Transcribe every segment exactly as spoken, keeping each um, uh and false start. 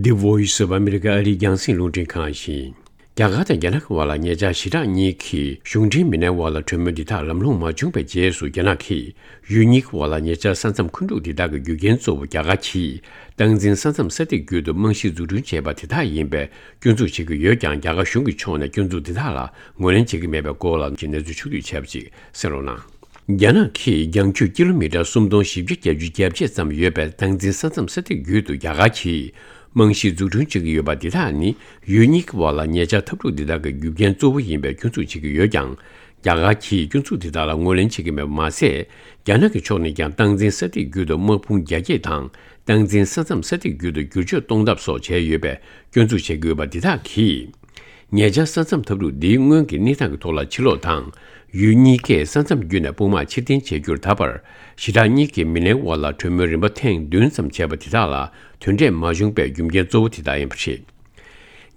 The Voice of America ཨ་རིའི་རྒྱང་སྲིང་རླུང་འཕྲིན་ཁང་ཡིན། རྒྱ་གར་དང་རྒྱ་ནག་གི་བར་ལ་ཉེ་ཆར་ཞི་དྲག་གཉིས་ཀྱི་གཞུང་འབྲེལ་མི་སྣའི་དབར་ལ་གྲོས་མོལ་འདི་དག་ལམ་ལྷོང་མ་བྱུང་བའི་རྗེས་སུ། རྒྱ་ནག་གིས་ཡུལ་གཉིས་ཀྱི་བར་ལ་ཉེ་ཆར་ས་མཚམས་འཁོན་འཁྲུག་འདི་དག་གི་རྒྱུ་རྐྱེན་གཙོ་བོ་རྒྱ་གར་གྱིས་སྟངས་འཛིན་ས་མཚམས་ས་ཐིག་བརྒྱུད་དུ་རྨང་གཞི་འཛུགས་སྐྲུན་བྱས་པ་དེ་དག་ཡིན་པའི་སྐྱོན་འཛུགས་བྱེད་ཀྱི་ཡོད་ཀྱང་། རྒྱ་གར་གཞུང་གི་ཕྱོགས་ནས་སྐྱོན་འཛུགས་འདི་དག་ལ་ངོས་ལེན་བྱེད་ཀྱི་མེད་པའི་སྐོར་ལ་གནས་ཚུལ་ཕྱོགས་བསྡུས་བྱས་པ་ཅིག་གསན་རོགས་གནང་། རྒྱ་ནག་གིས་རྒྱང་རྒྱུད་ཀི་ལོ་མི་ཊར་སུམ་སྟོང་བཞི་བརྒྱ་བརྒྱད་ཅུ་གྱ་བརྒྱད་ཙམ་ཡོད་པའི་སྟངས་འཛིན་ས་མཚམས་ས་ཐིག་བརྒྱུད་དུ་རྒྱ་གར་གྱིས་རྨང་གཞི་འཛུགས་སྐྲུན་བྱེད་ཀྱི་ཡོད་པ་འདི་དག་ནི། ཡུལ་གཉིས་ཀྱི་བར་ལ་ཉེ་ཆར་འཐབ་འཁྲུག་འདི་དག་གི་རྒྱུ་རྐྱེན་གཙོ་བོ་ཡིན་པའི་སྐྱོན་འཛུགས་བྱེད་ཀྱི་ཡོད་ཀྱང་། རྒྱ་གར་གྱིས་སྐྱོན་འཛུགས་འདི་དག་ལ་ངོས་ལེན་བྱེད་ཀྱི་མེད་པ་མ་ཟད། རྒྱ་ནག་གི་ཕྱོགས་ནས་ཀྱང་སྟངས་འཛིན་ས་ཐིག་བརྒྱུད་དུ་དམག་དཔུང་རྒྱ་སྐྱེད་དང་། སྟངས་འཛིན་ས་མཚམས་ས་ཐིག་བརྒྱུད་དུ་བསྒྱུར་བཅོས་གཏོང་ཐབས་སོགས་བྱས་ཡོད་པའི་སྐྱོན་འཛུགས་བྱེད་ཀྱི་ཡོད་པ་འདི་དག་གིས། ཉེ་ཆར་ས་མཚམས་འཐབ་འཁྲུག་འདིའི་སྔོན་གྱི་གནས་སྟངས་ཀྱི་ཐོག་ལ་ཕྱིར་ལོག་དང་། ཡུལ་གཉིས་ཀས་ས་མཚམས་བརྒྱུད་ནས་དཔུང་དམག་ཕྱིར་འཐེན་བྱེད་རྒྱུར། ད་བར་ཞི་དྲག་གཉིས་ཀྱི་མི་སྣའི་དབར་ལ་གྲོས་མོལ་རིམ་པ་ཐེངས་བདུན་ཙམ་བྱས་པ་དེ་དག་ལ་དོན་འབྲས་མ་བྱུང་པའི་རྒྱུ་རྐྱེན་གཙོ་བོ་དེ་དག་ཡིན་པ་རེད།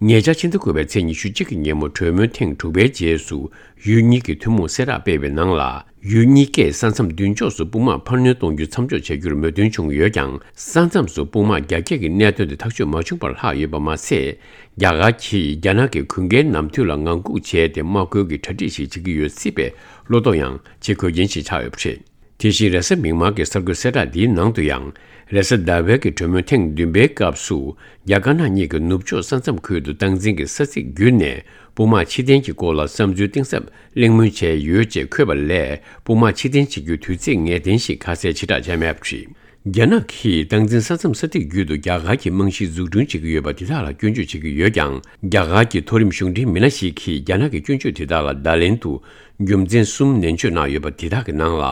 ཉེ་ཆར་ཕྱི་ཟླ་དགུ་པའི་ཚེས་ཉི་ཤུ་གཅིག་གི་ཉིན་མོ་གྲོས་མོལ་ཐེངས་དྲུག་པའི་རྗེས་སུ། ཡུལ་གཉིས་ཀྱི་ཐུན་མོང་གསལ་བསྒྲགས་སྤེལ་བའི་ནང་ལ། ཡུལ་གཉིས་ཀས་ས་མཚམས་མདུན་ཕྱོགས་སུ་དཔུང་དམག་འཕར་སྣོན་གཏོང་རྒྱུ་མཚམས་འཇོག་བྱ་རྒྱུར་མོས་མཐུན་བྱུང་ཡོད་ཀྱང་། ས་མཚམས་སུ་དཔུང་དམག་རྒྱ་སྐྱེད་ཀྱི་གནད་དོན་དེ་ཐག་གཅོད་མ་བྱུང་བར་ལྷག་ཡོད་པ་མ་ཟད། རྒྱ་གར་གྱིས་རྒྱ་ནག་གི་གུན་ཁའི་ནམ་དུས་ལ་ངང་སྒུག་བྱས་ཏེ། དམག་རྒོལ་གྱི་གྲ་སྒྲིག་ཞིག་བྱེད་ཀྱི་ཡོད་སྲིད་པའི་བློ་དོགས་ཡང་བྱེད་དགོས་རྐྱེན་ཞིག་ཆགས་ཡོད་པ་རེད། དེ་བཞིན་རེས་གཟའ་མིག་དམར་གྱི་གསར་འགོད་གསལ་བསྒྲགས་འདིའི་ནང་དུ་ཡང་། རེས་གཟའ་ཟླ་བའི་གི་གྲོས་མོལ་ཐེངས་བདུན་པའི་སྐབས་སུ། རྒྱ་དཀར་ནག་གཉིས་ཀྱི་ནུབ་ཕྱོགས་ས་མཚམས་ཁུལ་དུ་སྟངས་འཛིན་གྱི་ས་ཚིགས་བརྒྱུད་ནས་དཔུང་དམག་ཕྱིར་འཐེན་གྱི་སྐོར་ལ་བསམ་ཚུལ་གཏིང་ཟབ་གླེང་མོལ་བྱས་ཡོད་ཅེས་འཁོད་པ་ལས། དཔུང་དམག་ཕྱིར་འཐེན་བྱེད་རྒྱུའི་དུས་ཚིགས་ངེས་གཏན་ཞིག་ཁ་གསལ་ཞེ་དྲག་བྱས་མེད་པ་རེད། རྒྱ་ནག་གིས་སྟངས་འཛིན་ས་མཚམས་ས་ཐིག་བརྒྱུད་དུ་རྒྱ་གར་གྱི་རྨང་གཞི་འཛུགས་སྐྲུན་བྱེད་ཀྱི་ཡོད་པ་དེ་དག་ལ་སྐྱོན་བརྗོད་བྱེད་ཀྱི་ཡོད་ཀྱང་། རྒྱ་གར་གྱི་མཐོ་རིམ་གཞུང་འབྲེལ་མི་སྣ་ཞིག་གིས་རྒྱ་ནག་གི་སྐྱོན་བརྗོད་དེ་དག་ལ་བརྡ་ལན་དུ་རྒྱུ་མཚན་གསུམ་ནན་བརྗོད་གནང་ཡོད་པ་དེ་དག་གི་ནང་ལ།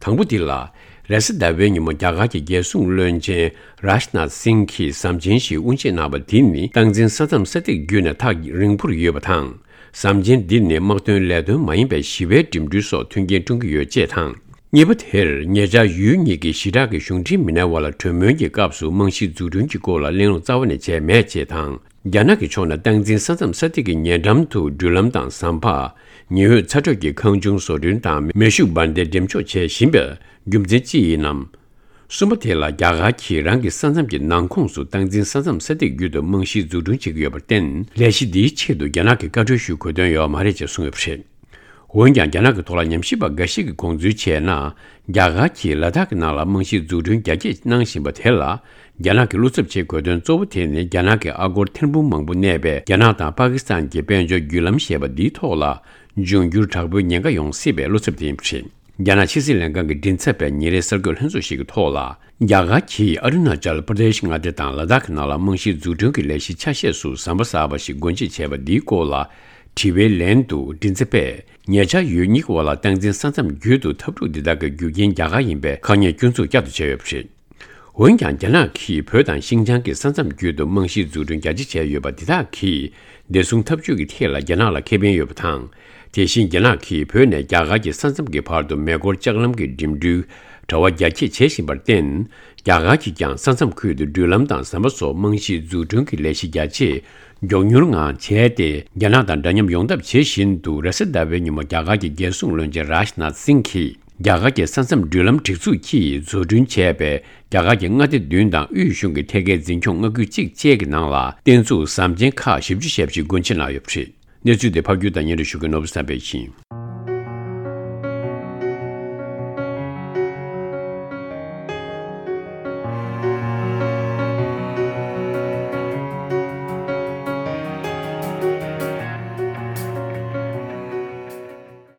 དང་པོ་དེ་ལ། རེས་གཟའ་ཟླ་བའི་ཉིན་མོ་རྒྱ་གར་གྱི་རྒྱལ་སྲུང་བློན་ཆེན་རཱཇ་ནཱཐ་སིང་གིས་ཟམ་ཆེན་ཞིག་དབུ་འབྱེད་གནང་བ་དེ་ནི། སྟངས་འཛིན་ས་མཚམས་ས་ཐིག་བརྒྱུད་ནས་ཐག་རིང་པོར་ཡོད་པ་དང་། ཟམ་ཆེན་འདི་ནི་དམག་དོན་ལས་དོན་མ་ཡིན་པའི་ཞི་བའི་འགྲིམ་འགྲུལ་སོགས་མཐུན་རྐྱེན་བསྐྲུན་གྱི་ཡོད་ཅེས་དང་། གཉིས་པ་དེར། ཉེ་ཆར་ཡུལ་གཉིས་ཀྱི་ཞི་དྲག་གི་གཞུང་འབྲེལ་མི་སྣའི་དབར་ལ་གྲོས་མོལ་གྱི་སྐབས་སུ། རྨང་གཞི་འཛུགས་སྐྲུན་གྱི་སྐོར་ལ་གླེང་སློང་རྩ་བ་ནས་བྱས་མེད་ཅེས་དང་། རྒྱ་ནག་གི་ཕྱོགས་ནས་སྟངས་འཛིན་ས་མཚམས་ས་ཐིག་གི་ཉེ་འགྲམ་དུ་འགྲུལ་ལམ་དང་ཟམ་པ། ཉི་འོད་ཚ་དྲོད་ཀྱི་ཁང་ཆུང་བཟོ་སྐྲུན་དང་མེ་ཤུགས་འབར་མདེལ་འགྲེམས་འཇོག་བྱེད་བཞིན་པའི་རྒྱུ་མཚན་ཅི་ཡིན་ནམ། གསུམ་པ་དེ་ལ། རྒྱ་གར་གྱིས་རང་གི་ས་མཚམས་ཀྱི་ནང་ཁོངས་སུ་སྟངས་འཛིན་ས་མཚམས་ས་ཐིག་བརྒྱུད་དུ་རྨང་གཞི་འཛུགས་སྐྲུན་བྱེད་ཀྱི་ཡོད་པར་བརྟེན། ལས་གཞི་འདིའི་ཆེད་དུ་རྒྱ་ནག་གིས་བཀའ་འཁྲོལ་ཞུ་དགོས་དོན་ཡོད་མ་རེད་ཅེས་གསུངས་ཡོད་པ་རེད། འོན་ཀྱང་། རྒྱ་ནག་གི་ཐོག་ལ་ཉམས་ཞིབ་པ་འགའ་ཞིག་གིས་དགོངས་ཚུལ་བྱས་ན། རྒྱ་གར་གྱིས་ལ་དྭགས་ཀྱི་ནང་ལ་རྨང་གཞིའི་འཛུགས་སྐྲུན་རྒྱ་སྐྱེད་གནང་བཞིན་པ་དེ་ལ། རྒྱ་ནག་གིས་བློ་འཚབ་བྱེད་དགོས་དོན་གཙོ་བོ་དེ་ནི། རྒྱ་ནག་གི་ཨ་སྒོར་ཐེར་འབུམ་མང་པོ་གནས་པའི་རྒྱ་ནག་དང་པ་ཀི་སི་ཐན་གྱི་དཔལ་འབྱོར་བརྒྱུད་ལམ་ཞེས་པ་འདིའི་ཐོག་ལ། འབྱུང་འགྱུར་དྲག་པོའི་ཉེན་ཁ་ཡོང་སྲིད་པའི་བློ་འཚབ་དེ་ཡིན་པ་རེད། རྒྱ་ནག་ཕྱི་སྲིད་ལྷན་ཁང་གི་མགྲིན་ཚབ་པས་ཉིན་རེའི་གསར་འགོད་ལྷན་ཚོགས་ཤིག་གི་ཐོག་ལ། རྒྱ་གར་གྱིས་ཨ་རུ་ན་ཅལ་པར་དེཤ་མངའ་སྡེ་དང་ལ་དྭགས་ཀྱི་ནང་ལ་རྨང་གཞིའི་འཛུགས་སྐྲུན་གྱི་ལས་གཞིའི་ཆ་ཤས་སུ་ཟམ་པ་བསགས་པ་ཞིག་སྒོ་འབྱེད་བྱས་པ་འདིའི་སྐོར་ལ་དྲི་བའི་ལན་དུ། མགྲིན་ཚབ་པས། ཉེ་ཆར་ཡུལ་གཉིས་ཀྱི་བར་ལ་སྟངས་འཛིན་ས་མཚམས་བརྒྱུད་དུ་འཐབ་འཁྲུག་འདི་དག་གི་རྒྱུ་རྐྱེན་རྒྱ་གར་ཡིན་པའི་ཁ་ཉེས་སྐྱོན་འཛུགས་བསྐྱར་དུ་བྱས་ཡོད་པ་རེད། འོན་ཀྱང་། རྒྱ་ནག་གིས་བོད་དང་ཤིན་ཅང་གི་ས་མཚམས་བརྒྱུད་དུ་རྨང་གཞིའི་འཛུགས་སྐྲུན་རྒྱ་ཆེ་བྱས་ཡོད་པ་འདི་དག་གིས། བདེ་སྲུང་འཐབ་ཇུས་ཀྱི་ཐད་ལ་རྒྱ་ནག་ལ་ཁེ་ཕན་ཡོད་པ་དང་། དེ་བཞིན། རྒྱ་ནག་གིས་བོད་ནས་རྒྱ་གར་གྱི་ས་མཚམས་ཀྱི་བར་དུ་མེ་འཁོར་ལྕགས་ལམ་གྱི་འགྲིམ་འགྲུལ་དྲ་བ་རྒྱ་སྐྱེད་བྱེད་བཞིན་པར་བརྟེན། རྒྱ་གར་གྱིས་ཀྱང་ས་མཚམས་ཁུལ་དུ་འགྲུལ་ལམ་དང་ཟམ་པ་སོགས་རྨང་གཞིའི་འཛུགས་སྐྲུན་གྱི་ལས་གཞི་རྒྱ་ཆེ་མགྱོགས་མྱུར་ངང་བྱས་ཏེ། རྒྱ་ནག་དང་འདྲ་མཉམ་ཡོང་ཐབས་བྱེད་བཞིན་དུ། རེས་གཟའ་ཟླ་བའི་ཉིན་མོ་རྒྱ་གར་གྱི་རྒྱལ་སྲུང་བློན་ཆེན་རཱཇ་ནཱཐ་སིང་གིས། རྒྱ་གར་གྱི་ས་མཚམས་འགྲུལ་ལམ་སྒྲིག་འཛུགས་ཀྱིས་བཟོ་སྐྲུན་བྱས་པའི་རྒྱ་གར་གྱི་མངའ་སྡེ་བདུན་དང་དབུས་གཞུང་གི་ཐད་ཀའི་འཛིན་སྐྱོང་མངའ་ཁུལ་གཅིག་བཅས་ཀྱི་ནང་ལ། བརྟན་བཟོ་ཟམ་ཆེན་ཁག་བཞི་བཅུ་ཞེ་བཞི་སྒོ་འབྱེད་གནང་ཡོད་པ་རེད། གནས་ཚུལ་དེ་ཕབ་སྒྱུར་དང་སྙན་སྒྲོན་ཞུ་མཁན་ནོར་བུ་བསམ་འཕེལ་ཡིན།